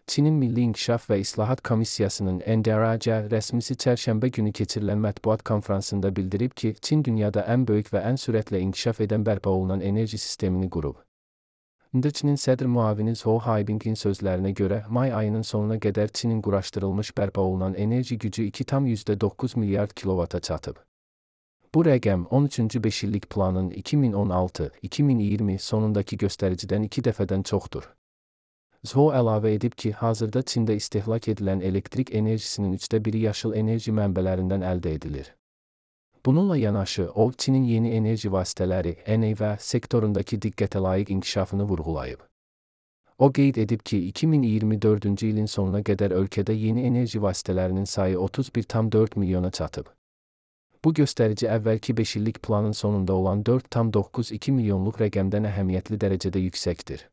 Çinin Milli İnkişaf ve İslahat Komissiyasının NDRC rəsmisi çərşənbə günü keçirilən mətbuat konfransında bildirib ki, Çin dünyada ən böyük və ən sürətlə inkişaf edən bərpa olunan enerji sistemini qurub. Çinin sədr müavini Zhou Haibingin sözlərinə görə, may ayının sonuna qədər Çinin quraşdırılmış bərpa olunan enerji gücü 2,9 milyard kilovata çatıb. Bu rəqəm 13-cü beşillik planın 2016-2020 sonundakı göstəricidən 2 dəfədən çoxdur. Zhou əlavə edib ki, hazırda Çində istehlak edilən elektrik enerjisinin 1/3 yaşıl enerji mənbələrindən əldə edilir. Bununla yanaşı, o, Çinin yeni enerji vasitələri (NEV) sektorundakı diqqətə layiq inkişafını vurğulayıb. O qeyd edib ki, 2024-cü ilin sonuna qədər ölkədə yeni enerji vasitələrinin sayı 31,4 milyona çatıb. Bu göstərici əvvəlki beşillik planın sonunda olan 4,92 milyonluq rəqəmdən əhəmiyyətli dərəcədə yüksəkdir.